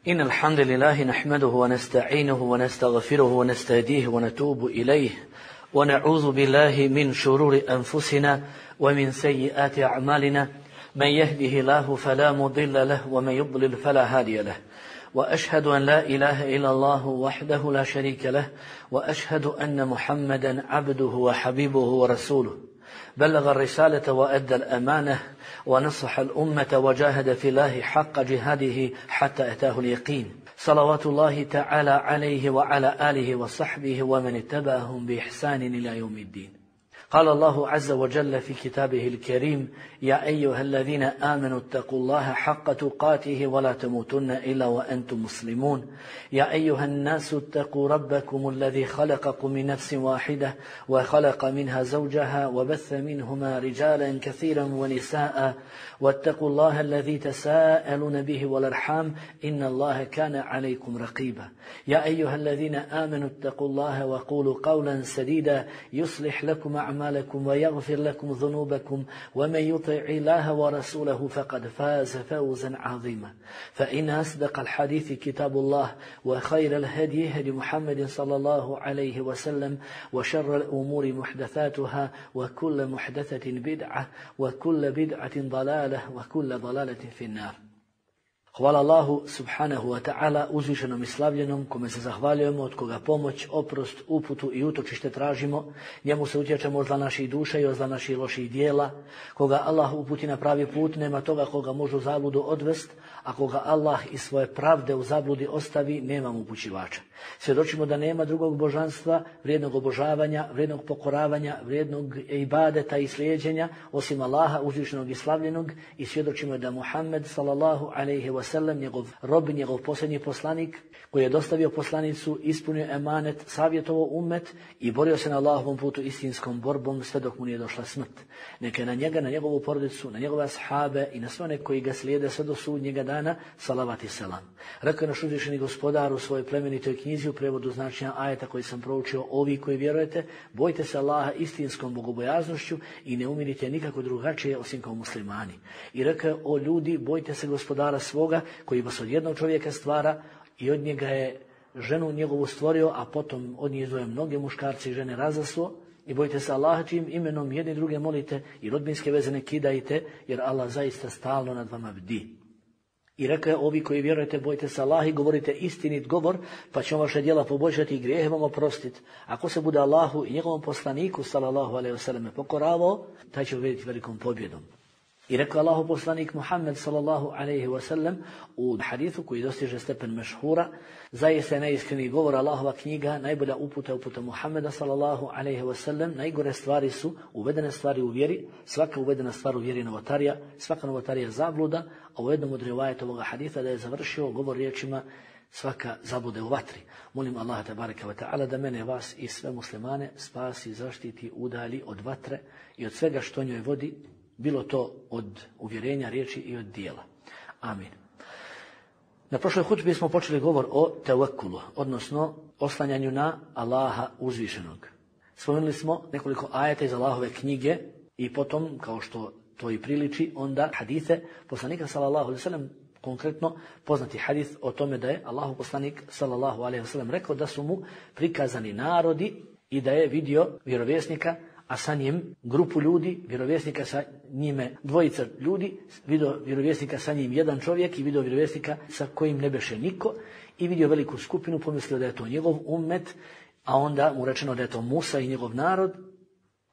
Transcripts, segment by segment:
إن الحمد لله نحمده ونستعينه ونستغفره ونستهديه ونتوب إليه ونعوذ بالله من شرور أنفسنا ومن سيئات أعمالنا من يهده الله فلا مضل له ومن يضلل فلا هادي له وأشهد أن لا إله إلا الله وحده لا شريك له وأشهد أن محمدا عبده وحبيبه ورسوله بلغ الرسالة وأدى الأمانة ونصح الأمة وجاهد في الله حق جهاده حتى أتاه اليقين صلوات الله تعالى عليه وعلى آله وصحبه ومن اتبعهم بإحسان إلى يوم الدين. قال الله عز وجل في كتابه الكريم: يا أيها الذين آمنوا اتقوا الله حق تقاته ولا تموتن إلا وأنتم مسلمون. يا أيها الناس اتقوا ربكم الذي خلقكم من نفس واحدة وخلق منها زوجها وبث منهما رجالا كثيرا ونساء واتقوا الله الذي تساءلون به والأرحام إن الله كان عليكم رقيبا. يا أيها الذين آمنوا اتقوا الله وقولوا قولا سديدا يصلح لكم أعمالكم ويغفر لكم ذنوبكم ومن يطع الله ورسوله فقد فاز فوزا عظيما. فإن أصدق الحديث كتاب الله وخير الهدي هدي محمد صلى الله عليه وسلم وشر الأمور محدثاتها وكل محدثة بدعة وكل بدعة ضلالة وكل ضلالة في النار. Hvala Allahu subhanahu wa ta'ala, uzvišenom i slavljenom, kome se zahvaljujemo, od koga pomoć, oprost, uputu i utočište tražimo. Njemu se utječemo od zla naših duša i od zla naših loših dijela. Koga Allah uputi na pravi put, nema toga koga može u zabludu odvest, a koga Allah iz svoje pravde u zabludi ostavi, nema mu upućivača. Svjedočimo da nema drugog božanstva, vrijednog obožavanja, vrijednog pokoravanja, vrijednog ibadeta i slijeđenja, osim Allaha uzvišenog i slavljenog, i svjedočimo da Muhammed sallallahu alejhi ve sellem, njegov rob, njegov posljednji poslanik, koji je dostavio poslanicu, ispunio emanet, savjetovao ummet i borio se na Allahovom putu istinskom borbom sve dok mu nije došla smrt. Neka je na njega, na njegovu porodicu, na njegove ashabe i na sve one koji ga slijede sve do sudnjega dana, salavat i selam. Rekao je naš uzvišeni gospodar u svojoj plemenitoj knjizi u prevodu značenja ajeta koji sam proučio: ovi koji vjerujete, bojte se Allaha istinskom bogobojaznošću i ne umirite nikako drugačije osim kao muslimani. I rekao je: o ljudi, bojte se gospodara svoga koji vas od jednog čovjeka stvara i od njega je ženu njegovu stvorio, a potom od nje izdvojio mnoge muškarce i žene razaslo. I bojte se Allaha čijim imenom jedni druge molite i rodbinske veze ne kidajte, jer Allah zaista stalno nad vama bdi. I rekao je: ovi koji vjerujete, bojte se Allaha i govorite istinit govor, pa će vaše djela poboljšati i grijehe vam oprostiti. Ako se bude Allahu i njegovom poslaniku sallallahu alejhi ve selleme pokoravao, taj će ubediti velikom pobjedom. I rekao Allahu poslanik Muhammed sallallahu alejhi ve sellem u hadithu koji dostiže stepen mešhura: zaista je najiskreniji govor Allahova knjiga, najbolja uputa Muhammeda sallallahu alejhi ve sellem. Najgore stvari su uvedene stvari u vjeri, svaka uvedena stvar u vjeri je novotarija, svaka novotarija zabluda, a u jednom od rivajeta ovoga haditha da je završio govor riječima: svaka zabluda je u vatri. Molim Allaha tebareke ve taala da mene, vas i sve muslimane spasi, zaštiti, udalji od vatre i od svega što njoj vodi, bilo to od uvjerenja, riječi i od dijela. Amin. Na prošloj hutbi smo počeli govor o tevekkulu, odnosno oslanjanju na Allaha uzvišenog. Spomenuli smo nekoliko ajeta iz Allahove knjige i potom, kao što to i priliči, onda hadise poslanika sallallahu alejhi ve sellem, konkretno poznati hadis o tome da je Allahov poslanik sallallahu alejhi ve sellem rekao da su mu prikazani narodi i da je vidio vjerovjesnika, a sa njim grupu ljudi, vjerovjesnika sa njime dvojica ljudi, vidio vjerovjesnika sa njim jedan čovjek i vidio vjerovjesnika sa kojim ne beše niko, i vidio veliku skupinu, pomislio da je to njegov ummet, a onda mu rečeno da je to Musa i njegov narod,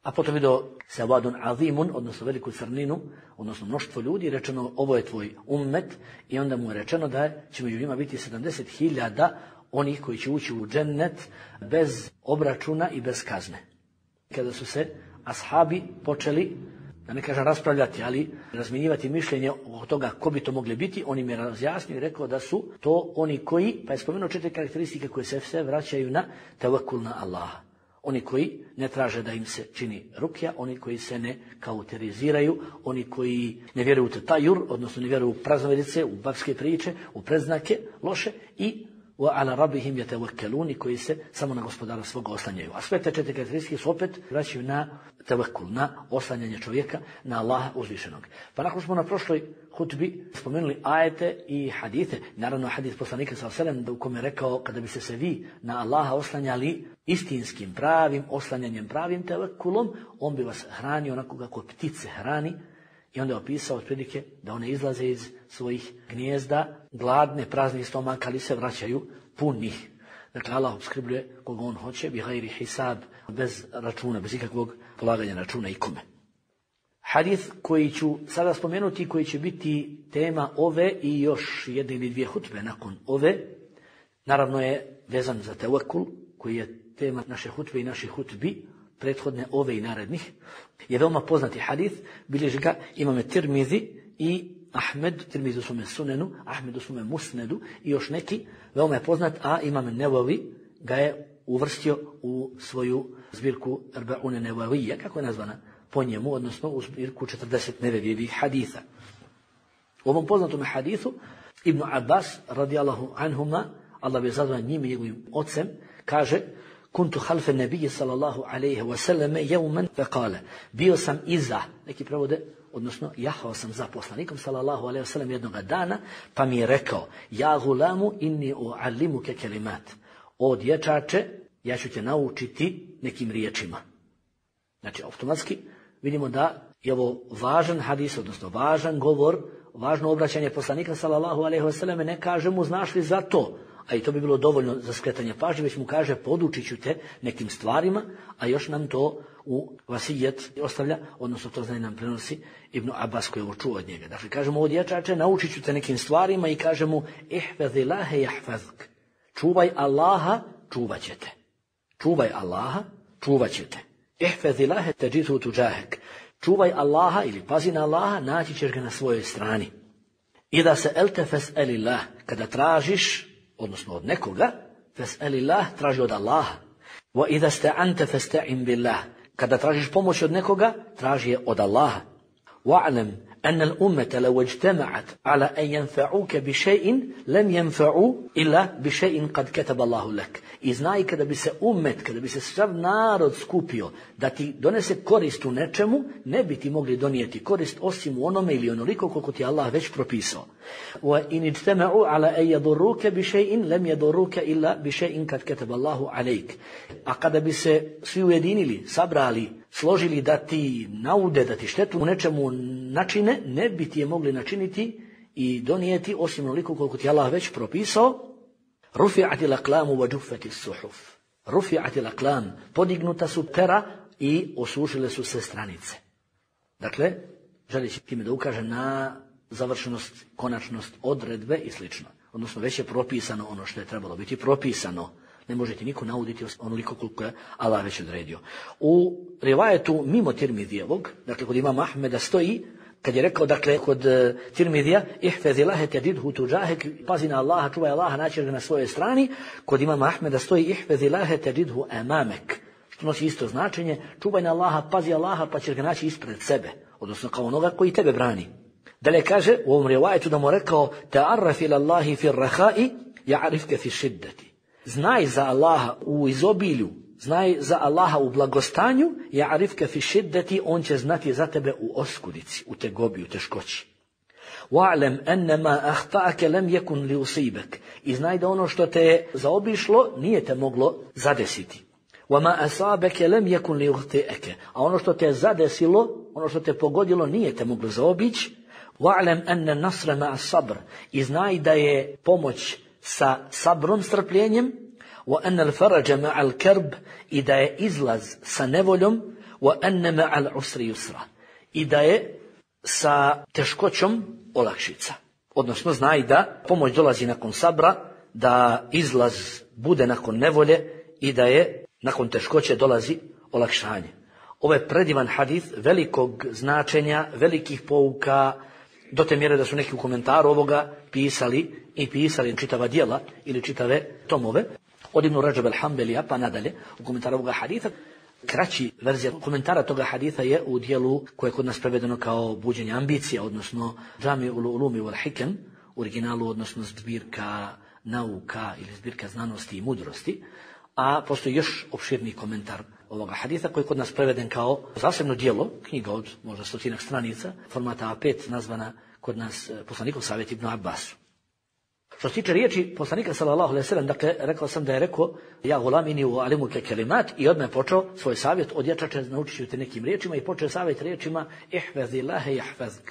a potom vidio sawadun azimun, odnosno veliku crninu, odnosno mnoštvo ljudi, rečeno ovo je tvoj ummet, i onda mu je rečeno da će među njima biti 70.000 onih koji će ući u džennet bez obračuna i bez kazne. Kada su se ashabi počeli, da ne kažem raspravljati, ali razmjenjivati mišljenje o toga ko bi to mogli biti, on im je razjasnio i rekao da su to oni koji, pa je spomenuo 4 karakteristike koje se sve vraćaju na tevekkul na Allaha. Oni koji ne traže da im se čini rukja, oni koji se ne kauteriziraju, oni koji ne vjeruju u tajur, odnosno ne vjeruju u praznovedice, u babske priče, u predznake loše, i وَعَلَى رَبِّهِمْ يَتَوَكَّلُونَ, koji se samo na gospodara svoga oslanjaju. A sve te 4 karakteristike su opet vraćaju na tevekul, na oslanjanje čovjeka na Allaha uzvišenog. Pa nakon smo na prošloj hutbi spomenuli ajete i hadite, naravno hadis poslanika sallallahu alejhi ve sellem u kome je rekao kada bi se vi na Allaha oslanjali istinskim, pravim oslanjanjem, pravim tevekulom, on bi vas hranio onako kako ptice hrani. I onda je opisao otprilike da one izlaze iz svojih gnijezda gladne, praznih stomaka, ali se vraćaju punih. Dakle, Allah opskrbljuje koga on hoće, bi gajri hisab, bez računa, bez ikakvog polaganja računa ikome. Hadith koji ću sada spomenuti, koji će biti tema ove i još jedne ili dvije hutbe nakon ove, naravno je vezan za tevekul, koji je tema naše hutbe i naših hutbi, prethodne ove i narednih, je veoma poznati hadith, bilježi ga imame Tirmizi i Ahmed, Tirmizi u svome sunenu, Ahmed u svome musnedu i još neki, veoma je poznat, a imame Nevavi ga je uvrstio u svoju zbirku Arba'une Nevavija, kako je nazvana po njemu, odnosno u zbirku 40 nevevijevih haditha. U ovom poznatom hadithu Ibn Abbas, radijallahu anhuma, Allah bi zazvan njim i njegovim ocem, kaže: Kuntu halfe nebije sallallahu alaihi wasallame jeumen fekale. Bio sam iza, neki prevode, odnosno jahao sam za poslanikom sallallahu alaihi wasallam jednoga dana, pa mi je rekao: Ja gulamu inni uallimuke kelimat. O dječače, ja ću te naučiti nekim riječima. Znači, automatski vidimo da je ovo važan hadis, odnosno važan govor, važno obraćanje poslanika sallallahu alaihi wasallam, ne kaže mu znaš li za to, a i to bi bilo dovoljno za skretanje pažnje, već mu kaže podučit ću te nekim stvarima, a još nam to u vasijet ostavlja, odnosno to znanje nam prenosi Ibn Abbas koji je ovo čuo od njega. Dakle, kažemo, o dječače, naučit ću te nekim stvarima i kažemo ihfazillahe jahfazk. Čuvaj Allaha, čuvat će te. Čuvaj Allaha, čuvat će te. Ihfazillahe teđidhu tuđahek. Čuvaj Allaha ili pazi na Allaha, naći ćeš ga na svojoj strani. I da se elte fes'elillah, kada tražiš, odnosno od nekoga, fes'elillah, traži od Allaha. Wa idha sta'anta fasta'in billah, kada tražiš pomoć od nekoga, traži je od Allaha. Wa'lam anna al-ummata law ijtama'at ala an yanfa'uka bi shay'in lam yanfa'u illa bi shay'in qad kataba Allahu lak. I znaj kada bi se ummet, kada bi se sav narod skupio da ti donese korist u nečemu, ne bi ti mogli donijeti korist osim u onome ili onoliko koliko ti Allah već propisao. Wa in ijtama'u ala an yadurruka bi shay'in lam yadurruka illa bi shay'in qad kataba Allahu alayk. A kada bi se svi ujedinili, sabrali, složili da ti naude, da ti štetu u nečemu načine, ne bi ti je mogli načiniti i donijeti osim onoliko koliko ti Allah već propisao. Rufi'ati l'aklamu wa džuffati suhuf. Rufi'ati l'aklam, podignuta su pera i osušile su se stranice. Dakle, želeći time da ukaže na završenost, konačnost odredbe i slično. Odnosno, već je propisano ono što je trebalo biti propisano. Ne možete niko nauditi onoliko koliko je Allah već odredio. U rivajetu mimo Tirmidijevog, dakle kod imama Ahmeda stoji, kad je rekao, dakle, kod Tirmidija, ihfazillahe tedidhu tuđahek, pazi na Allaha, čuvaj Allaha, naći ga na svojoj strani. Kod imama Ahmeda stoji, ihfazillahe tedidhu amamek, što nosi isto značenje, čuvaj na Allaha, pazi Allaha, pa ćeš ga naći ispred sebe, odnosno kao onoga koji tebe brani. Dalje kaže, u ovom rivajetu da mu rekao, ta'arraf ila Allahi fir rahai, ja'arifke fi šiddati. Znaj za Allaha u izobilju, znaj za Allaha u blagostanju, ja'arifke fi šiddati, on će znati za tebe u oskudici, u tegobi, u teškoći. Wa'lam anna ma akhta'aka lam yakun li usibak. I znaj da ono što te je zaobišlo nije te moglo zadesiti. Wa ma asabaka lam yakun li yukhti'aka. A ono što te je zadesilo, ono što te pogodilo nije te moglo zaobići. Wa'lam anna nasra ma'a sabr. I znaj da je pomoć sa sabrom, strpljenjem. Wa anna al-faraja ma'a al-karb. I da je izlaz sa nevoljom. Wa anna ma'a al-usri yusra. I da je sa teškoćom olakšica. Odnosno, znaj da pomoć dolazi nakon sabra, da izlaz bude nakon nevolje i da je nakon teškoće dolazi olakšanje. Ovo je predivan hadith velikog značenja, velikih pouka, do te mjere da su neki u komentaru ovoga pisali čitava djela ili čitave tomove. Od Ibn Rajab al-Hanbalija pa nadalje u komentaru ovoga haditha. Kraći verzija komentara toga haditha je u dijelu koje je kod nas prevedeno kao buđenje ambicija, odnosno Džami ul-Ulumi wal Hikam, u originalu, odnosno zbirka nauka ili zbirka znanosti i mudrosti, a postoji još opširniji komentar ovoga haditha koji je kod nas preveden kao zasebno djelo, knjiga od možda 100 stranica, formata A5, nazvana kod nas poslanikov savjet Ibn Abbasu. Što se tiče riječi poslanika sallallahu alejhi ve sellem, dakle, rekao sam da je rekao ja gulamini u alimuke kelimat i odmah je počeo svoj savjet od dječača, naučit ću te nekim riječima i počeo savjet riječima ihfazillahe jahfazk.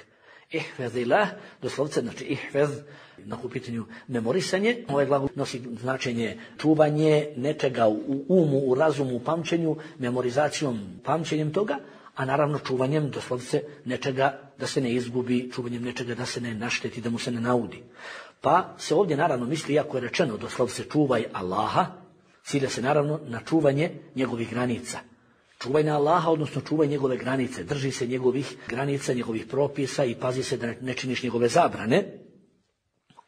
Ihfazillah, doslovce znači ihfaz, na pitanju memorisanje. Ovaj glagol nosi značenje čuvanje nečega u umu, u razumu, u pamćenju, memorizacijom, pamćenjem toga, a naravno čuvanjem doslovce nečega da se ne izgubi, čuvanjem nečega da se ne našteti, da mu se ne naudi. Pa se ovdje naravno misli, iako je rečeno doslovce čuvaj Allaha, cilja se naravno na čuvanje njegovih granica. Čuvaj na Allaha, odnosno čuvaj njegove granice, drži se njegovih granica, njegovih propisa i pazi se da ne činiš njegove zabrane.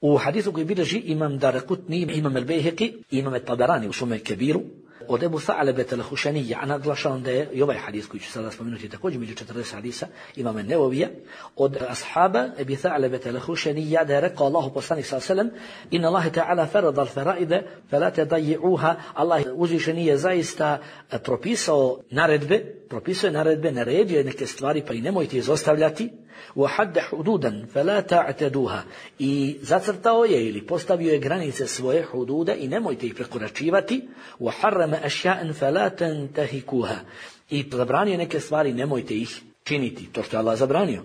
U hadisu koji bilježi imam Daraqutni, imam al-Bayhaqi, imam al-Tabarani u svome Kebiru, od Ebu Tha'labata al-Khušanija, a naglašavam da je i ovaj hadis koji ću sada spomenuti također među 40 hadisa imam an-Nevavija, od ashaba Ebu Tha'labata al-Khušanija da je rekao Allahu poslanik sallallahu alejhi ve sellem: "Inna Allaha ta'ala farada al-fara'ida fala tadayyi'uha." Allah uzvišeni je zaista propisao naredbe, naredio je neke stvari pa i nemojte izostavljati. وَحَدَّ حُدُودًا فَلَا تَعْتَدُوهَا i zacrtao je ili postavio je granice svoje hududa i nemojte ih prekoračivati. وَحَرَّمَ أَشْيَاءً فَلَا تَنْتَهِكُوهَا i zabranio neke stvari, nemojte ih činiti, to što je Allah zabranio.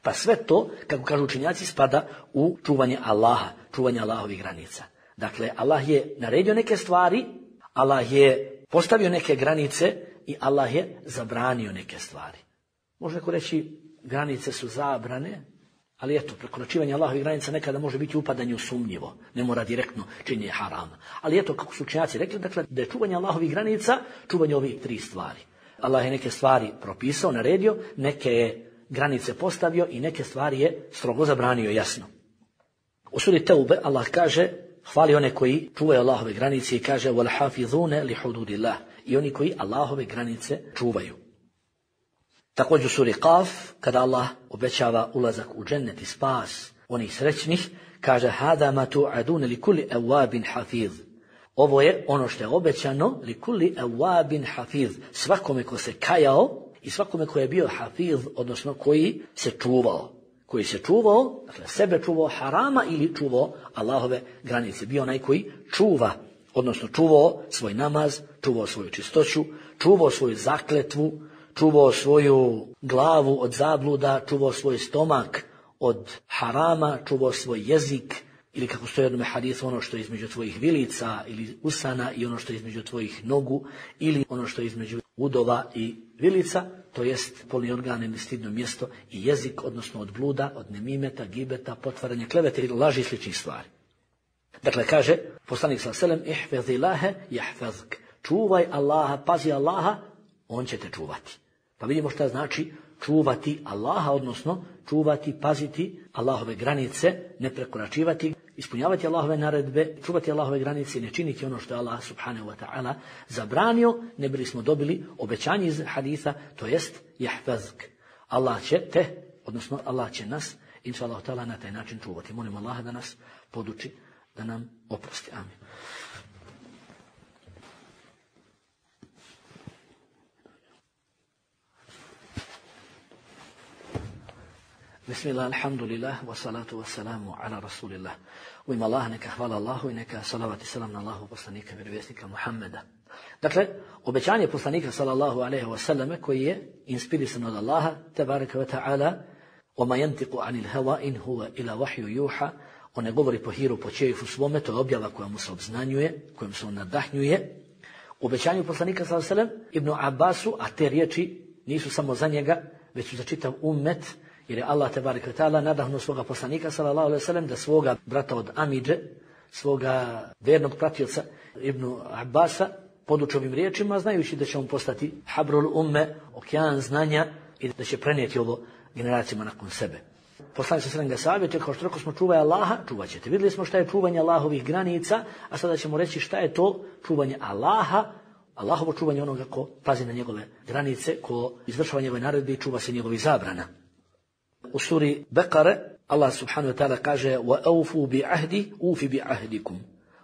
Pa sve to, kako kažu učenjaci, spada u čuvanje Allaha, čuvanje Allahovih granica. Dakle, Allah je naredio neke stvari, Allah je postavio neke granice i Allah je zabranio neke stvari. Može neko reći, granice su zabrane, ali eto, prekoračivanje Allahovih granica nekada može biti upadanje u sumnjivo, ne mora direktno činjenje harama. Ali eto, kako su učenjaci rekli, dakle, da je čuvanje Allahovih granica, čuvanje ovih 3 stvari. Allah je neke stvari propisao, naredio, neke je granice postavio i neke stvari je strogo zabranio, jasno. U suri Teube Allah kaže, hvali one koji čuvaju Allahove granice i kaže وَالْحَافِظُونَ لِحُدُودِ i oni koji Allahove granice čuvaju. Također u suri Qaf, kada Allah obećava ulazak u džennet i spas onih srećnih, kaže hada ma tu'adun li kulli awabin hafiz. Ovo je ono što je obećano li kulli awabin hafiz, svakome ko se kajao i svakome ko je bio hafiz, odnosno koji se čuvao, dakle sebe čuvao harama ili čuvao Allahove granice. Bio onaj koji čuva, odnosno čuvao svoj namaz, čuvao svoju čistoću, čuvao svoju zakletvu, čuvao svoju glavu od zabluda, čuvao svoj stomak od harama, čuvao svoj jezik, ili kako stoji u jednom hadisu, ono što je između tvojih vilica ili usana i ono što je između tvojih nogu, ili ono što je između udova i vilica, to jest polni organ ili stidno mjesto, i jezik, odnosno od bluda, od nemimeta, gibeta, potvaranja, klevete ili laži i sličnih stvari. Dakle, kaže poslanik sallallahu alejhi ve sellem: "Ihfazillaha yahfazk." Čuvaj Allaha, pazi Allaha, on će te čuvati. Pa vidimo šta znači čuvati Allaha, odnosno čuvati, paziti Allahove granice, ne prekoračivati, ispunjavati Allahove naredbe, čuvati Allahove granice i ne činiti ono što je Allah subhanahu wa ta'ala zabranio, ne bili smo dobili obećanje iz haditha, to jest jahfazk. Allah će te, odnosno Allah će nas, inša Allah ta'ala, na taj način čuvati. Molim Allaha da nas poduči, da nam oprosti. Amin. Bismillah, alhamdulillah, wa salatu wa salamu ala rasulillah. U ime Allaha neka hvala Allahu i neka salavat i salam na Allahu poslanika, vjerovjesnika Muhammeda. Dakle, obećanje poslanika sallallahu alejhi ve selleme koji je inspirisan od Allaha tebareke ve taala, وَمَا يَنْتِقُ عَنِ الْهَوَا إِنْ هُوَ إِلَا وَحْيُ يُوحَى, on ne govori po hiru, po čejifu svome, to je objava koja mu se obznanjuje, kojom se on nadahnjuje. U obećanju poslanika sallallahu alejhi ve sellem Ibnu Abbasu, a te riječi nisu samo za njega, već su za čitav ummet, jer je Allah tebareke ve taala nadahnuo svoga poslanika sallallahu alejhi ve sellem da svoga brata od Amidže, svoga vernog pratioca Ibnu Abbasa poduči ovim riječima, znajući da će on postati habrul umme, okean znanja, i da će prenijeti ovo generacijama nakon sebe. Poslanik sallallahu alejhi ve sellem ga savjetuje, kao što rekao smo, čuvaj Allaha, čuvat ćete. Vidjeli smo šta je čuvanje Allahovih granica, a sada ćemo reći šta je to čuvanje Allaha, Allahovo čuvanje onoga ko pazi na njegove granice, ko izvršava njegove naredbe i čuva se njegovih zabrana. U suri Bekare Allah subhanahu wa ta'ala kaže وَأَوْفُوا بِعَهْدِ أُوفِ بِعَهْدِكُمْ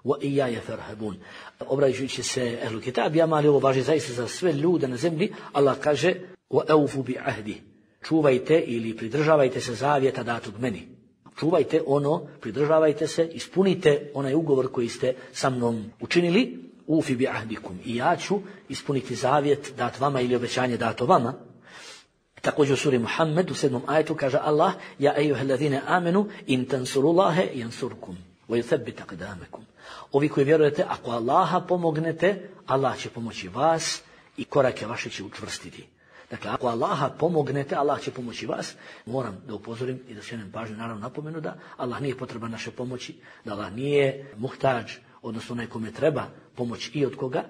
وَإِيَّايَ فَارْهَبُونَ. Obraćajući se ehlu kitabima, ali ovo važi zaista za sve ljude na zemlji, Allah kaže وَأَوْفُوا بِعَهْدِ, čuvajte ili pridržavajte se zavjeta datog meni. Čuvajte ono, pridržavajte se, ispunite onaj ugovor koji ste sa mnom učinili, ufi bi ahdikum, i ja ću ispuniti zavjet dat vama ili obećanje dato vama. Također u suri Muhammed u 7. ajetu kaže Allah: Ja ejuhellazine amenu in tansurullahe yansurkum wa yuthabbit aqdamakum. Ovi koji vjerujete, ako Allaha pomognete, Allah će pomoći vas i korake vaše će učvrstiti. Dakle, ako Allaha pomognete, Allah će pomoći vas. Moram da upozorim i da skrenem pažnju, naravno napomenu da Allah nije potreban naše pomoći, da Allah nije muhtađ, odnosno onaj kome treba pomoć i od koga,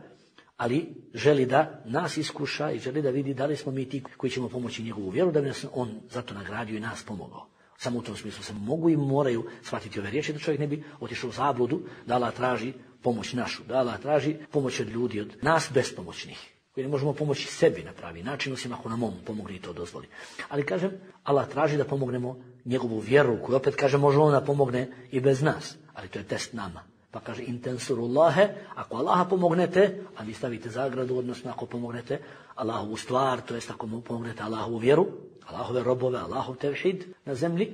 ali želi da nas iskuša i želi da vidi da li smo mi ti koji ćemo pomoći njegovu vjeru, da bi nas on zato nagradio i nas pomogao. Samo u tom smislu se mogu i moraju shvatiti ove riječi, da čovjek ne bi otišao u zabludu, da Allah traži pomoć našu, da Allah traži pomoć od ljudi, od nas bespomoćnih, koji ne možemo pomoći sebi na pravi način, osim ako nam on pomogne i to dozvoli. Ali kažem, Allah traži da pomognemo njegovu vjeru, koju opet kaže može on da pomogne i bez nas, ali to je test nama. Pa kaže intensurullahe, ako Allaha pomognete, a vi stavite zagradu, odnosno ako pomognete Allahovu stvar, to jest ako mu pomognete Allahovu vjeru, Allahove robove, Allahov tevhid na zemlji,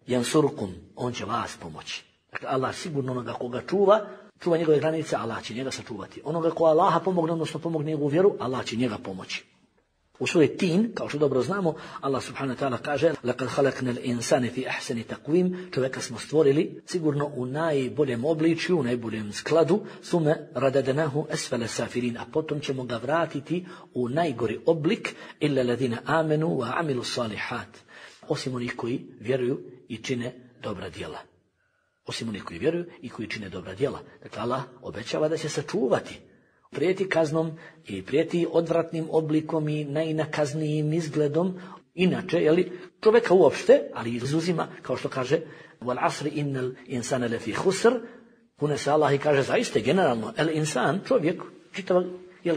jansurkum, on će vas pomoći. Dakle, Allah sigurno onoga koga čuva njegove granice, Allah će njega sačuvati. Onoga ko Allaha pomogne, odnosno pomogne njegovu vjeru, Allah će njega pomoći. U suri Tin, kao što dobro znamo, Allah subhanahu wa ta'ala kaže: "Laqad khalaqnal insana fi ahsani taqwim", čovjeka smo stvorili sigurno u najboljem obličju, u najboljem skladu, thumma radadnahu asfala safirin, a potom ćemo ga vratiti u najgori oblik, illa alladhina amanu wa amilu salihat, osim onih koji vjeruju i čine dobra djela. Osim onih koji vjeruju i koji čine dobra djela. Dakle, Allah obećava da će sačuvati, prijeti kaznom i prijeti odvratnim oblikom i najnakaznijim izgledom. Inače, čovjeka uopšte, ali izuzima, kao što kaže wal asri innal insana lafi khusr, kune se Allah i kaže zaista generalno el insan, čovjek, čitava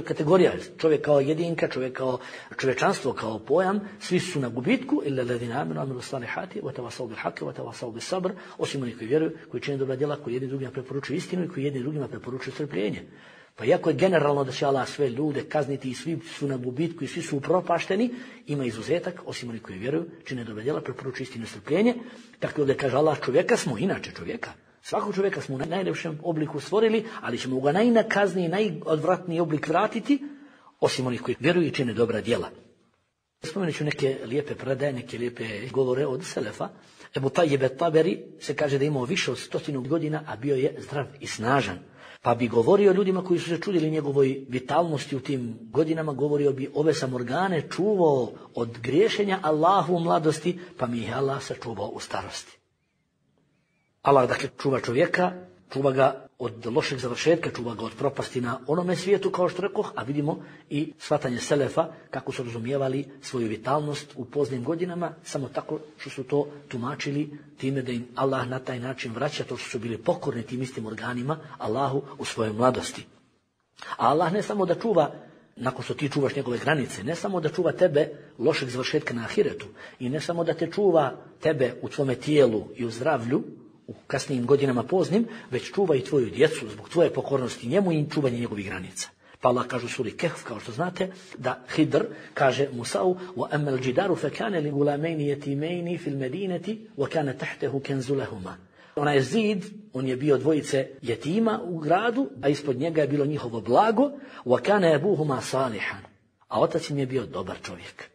kategorija, čovjek kao jedinka, čovjek kao čovječanstvo, kao pojam, svi su na gubitku, illa alladhina amanu wa amilu salihati wa tawasaw bil haqqi wa tawasaw bis sabr, osim onih koji vjeruju, koji čine dobra djela, koji jedni drugima preporučuju istinu i koji jedni drugima preporučuju strpljenje. Pa iako je generalno da će Allah sve ljude kazniti i svi su na gubitku i svi su upropašteni, ima izuzetak, osim oni koji vjeruju, čine dobra djela, preporučuju istinu i strpljenje. Tako da kaže Allah, čovjeka smo, inače čovjeka, svakog čovjeka smo u najljepšem obliku stvorili, ali ćemo ga najnakazniji, najodvratniji oblik vratiti, osim onih koji vjeruju i čine dobra djela. Spomenut ću neke lijepe predaje, neke lijepe govore od selefa. Ebu Tajib et-Taberi se kaže da je imao više od 100 godina, a bio je zdrav i snažan. Pa bi govorio ljudima koji su se čudili njegovoj vitalnosti u tim godinama, govorio bi: ove sam organe čuvao od griješenja Allahu u mladosti, pa mi je Allah sačuvao u starosti. Allah dakle čuva čovjeka, čuva ga od lošeg završetka, čuva ga od propasti na onome svijetu, kao što rekoh, a vidimo i shvatanje selefa kako su razumijevali svoju vitalnost u poznim godinama, samo tako što su to tumačili time da im Allah na taj način vraća to što su bili pokorni tim istim organima Allahu u svojoj mladosti. A Allah ne samo da čuva, nakon što ti čuvaš njegove granice, ne samo da čuva tebe lošeg završetka na ahiretu i ne samo da te čuva tebe u tvome tijelu i u zdravlju, u kasnijim godinama poznim, već čuva i tvoju djecu zbog tvoje pokornosti njemu i čuvanje njegovih granica. Pa Allah kaže u suri Kehf, kao što znate, da Hidr kaže Musa'u: وَأَمَّا الْجِدَارُ فَكَانَ لِغُلَامَيْنِ يَتِيمَيْنِ فِي الْمَدِينَةِ وَكَانَ تَحْتَهُ كَنْزُ لَهُمَا. Onaj zid, on je bio dvojice jetima u gradu, a ispod njega je bilo njihovo blago, وَكَانَ أَبُوهُمَا صَالِحًا, a otac im je bio dobar čovjek.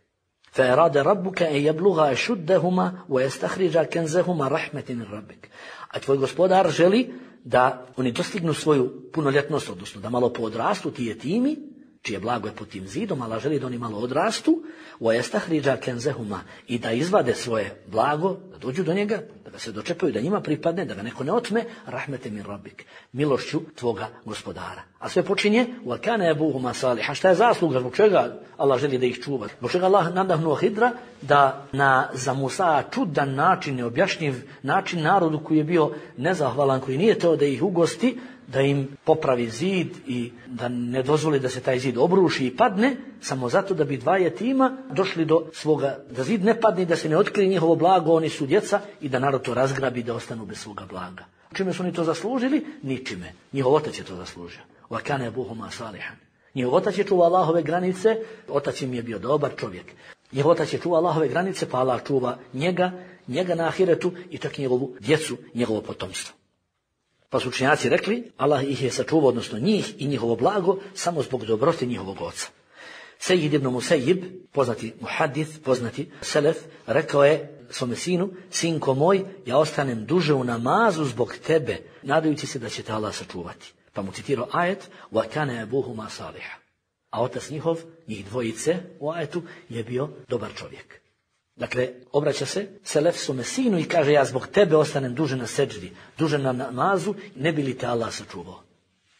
فَأَرَادَ رَبُّكَ أَنْ يَبْلُغَا أَشُدَّهُمَا وَيَسْتَخْرِجَ كَنْزَهُمَا رَحْمَةٍ مِنْ رَبِّكَ. A tvoj gospodar želi da oni dostignu svoju punoljetnost, odnosno da malo poodrastu ti jetimi, čije blago je pod tim zidom, Allah želi da oni malo odrastu, وَيَسْتَخْرِجَ كَنْزَهُمَا, i da izvade svoje blago, da dođu do njega, da ga se dočepaju, da njima pripadne, da ga neko ne otme, rahmete min rabbik, milošću tvoga gospodara. A sve počinje وَكَانَ أَبُوهُمَا صَالِحًا. Šta je zasluga, zbog čega Allah želi da ih čuva? Zbog čega Allah nadahnuo Hidra da na za Musa čudan način, neobjašnjiv način narodu koji je bio nezahvalan, koji nije teo da ih ugosti, da im popravi zid i da ne dozvoli da se taj zid obruši i padne, samo zato da bi dva jetima došli do svoga, da zid ne padne i da se ne otkrije njihovo blago, oni su djeca i da narod to razgrabi da ostanu bez svoga blaga. Čime su oni to zaslužili? Ničime. Njihov otac je to zaslužio. Wa kana abuhuma salihan. Njihov otac je čuvao Allahove granice, otac im je bio dobar čovjek. Njihov otac je čuvao Allahove granice, pa Allah čuva njega na ahiretu i čak njegovu djecu, njegovo potomstvo. Pa su učenjaci rekli, Allah ih je sačuvao, odnosno njih i njihovo blago, samo zbog dobrote njihovog oca. Sejid ibn Musejib, poznati muhadith, poznati selef, rekao je svome sinu, sinko moj, ja ostanem duže u namazu zbog tebe, nadajući se da će te Allah sačuvati. Pa mu citirao ajet, wa kana abuhuma saliha. A otac njihov, njih dvojice u ajetu, je bio dobar čovjek. Dakle, obraća se selef svome sinu i kaže, ja zbog tebe ostanem duže na seđdi, duže na namazu, ne bi li te Allah sačuvao.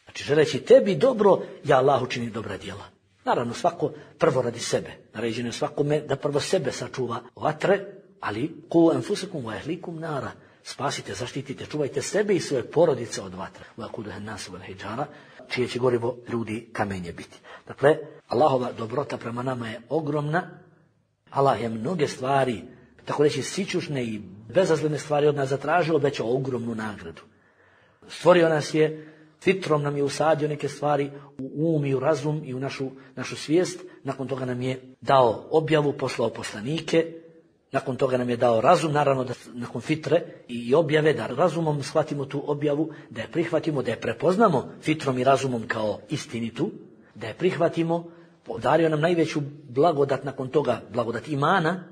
Znači, želeći tebi dobro, ja Allah učini dobra djela. Naravno, svako prvo radi sebe. Naređeno je svakome da prvo sebe sačuva vatre, ali ku anfusakum wa ahlikum nara. Spasite, zaštitite, čuvajte sebe i svoje porodice od vatre. Wa quduha an-nas wal hijara, čije će gorivo ljudi kamenje biti. Dakle, Allahova dobrota prema nama je ogromna. Allah je mnoge stvari, tako reći sićušne i bezazlene stvari od nas zatražio, obećao ogromnu nagradu. Stvorio nas je, fitrom nam je usadio neke stvari u i u razum i u našu svijest. Nakon toga nam je dao objavu, poslao poslanike. Nakon toga nam je dao razum, naravno da nakon fitre i objave, da razumom shvatimo tu objavu, da je prihvatimo, da je prepoznamo fitrom i razumom kao istinitu, da je prihvatimo. Dario nam najveću blagodat nakon toga, blagodat imana,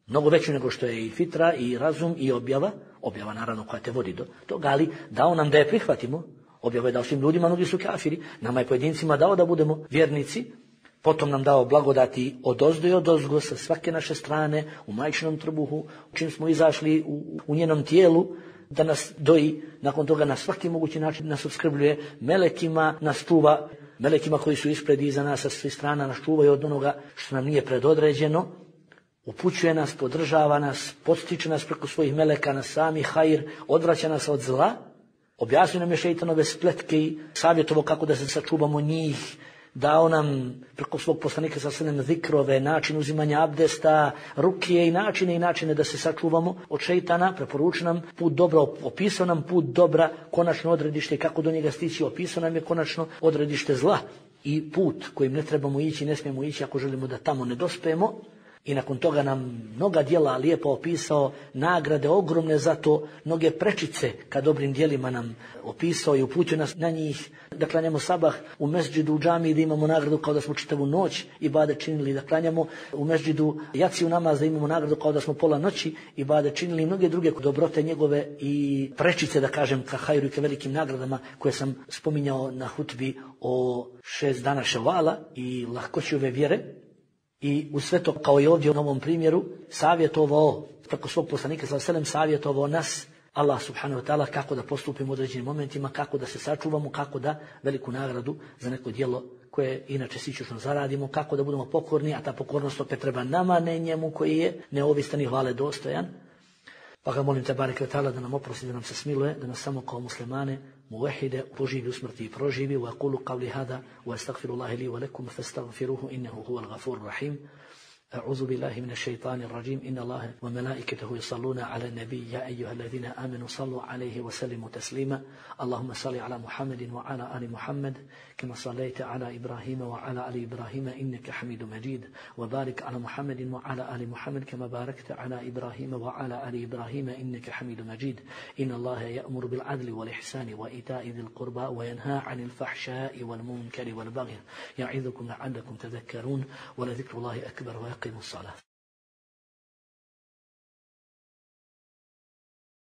mnogo veću nego što je i fitra i razum i objava naravno koja te vodi do toga, ali dao nam da je prihvatimo. Objava je dao svim ljudima, mnogi su kafiri, nama je pojedincima dao da budemo vjernici, potom nam dao blagodati odozdo i odozgo sa svake naše strane, u majčinom trbuhu, čim smo izašli u njenom tijelu, da nas doji, nakon toga na svaki mogući način nas opskrbljuje, melekima nas čuva, melekima koji su ispred i iza nas sa svih strana nas čuvaju od onoga što nam nije predodređeno, upućuje nas, podržava nas, podstiče nas preko svojih meleka na sami hajr, odvraća nas od zla, objasnio nam je šejtanove spletke i savjetovo kako da se sačuvamo njih, dao nam preko svog poslanika sa sallam zikrove, način uzimanja abdesta, rukije i načine da se sačuvamo od šejtana, preporučio nam put dobra, opisao nam put dobra, konačno odredište kako do njega stići, opisao nam je konačno odredište zla i put kojim ne trebamo ići, ne smijemo ići ako želimo da tamo ne dospemo. I nakon toga nam mnoga djela lijepo opisao, nagrade ogromne za to, mnoge prečice ka dobrim djelima nam opisao i uputio nas na njih, da klanjamo sabah u mesdžidu u džamiji, da imamo nagradu kao da smo čitavu noć ibadet činili, da klanjamo u mesdžidu jaciju namaz, da imamo nagradu kao da smo pola noći ibadet činili, i mnoge druge dobrote njegove i prečice, da kažem, ka hajru i ka velikim nagradama koje sam spominjao na hutbi o 6 dana ševala i lahkoći ove vjere. I u sve to, kao i ovdje u ovom primjeru, savjetovao, preko svog poslanika sallallahu alejhi ve sellem, savjetovao nas, Allah subhanahu wa ta'ala, kako da postupimo u određenim momentima, kako da se sačuvamo, kako da veliku nagradu za neko djelo koje inače sićušno zaradimo, kako da budemo pokorni, a ta pokornost opet treba nama, ne njemu koji je neovistan i hvale dostojan. Pa ga molim te bareke ve ta'ala da nam oprosti, da nam se smiluje, da nas samo kao muslimane muvahide poživi u smrti i proživi. Wa aqulu qawli hada wa astaghfirullaha li wa lakum fastaghfiruhu innahu huwal ghafurur rahim. أعوذ بالله من الشيطان الرجيم إن الله وملائكته يصلون على النبي يا أيها الذين آمنوا صلوا عليه وسلموا تسليما اللهم صل على محمد وعلى آل محمد كما صليت على إبراهيم وعلى آل إبراهيم إنك حميد مجيد وبارك على محمد وعلى آل محمد كما باركت على إبراهيم وعلى آل إبراهيم إنك حميد مجيد إن الله يأمر بالعدل والإحسان وإيتاء ذي القربى وينهى عن الفحشاء والمنكر والبغي يعظكم لعلكم تذكرون ولذكر الله أكبر ويقيم الصلاة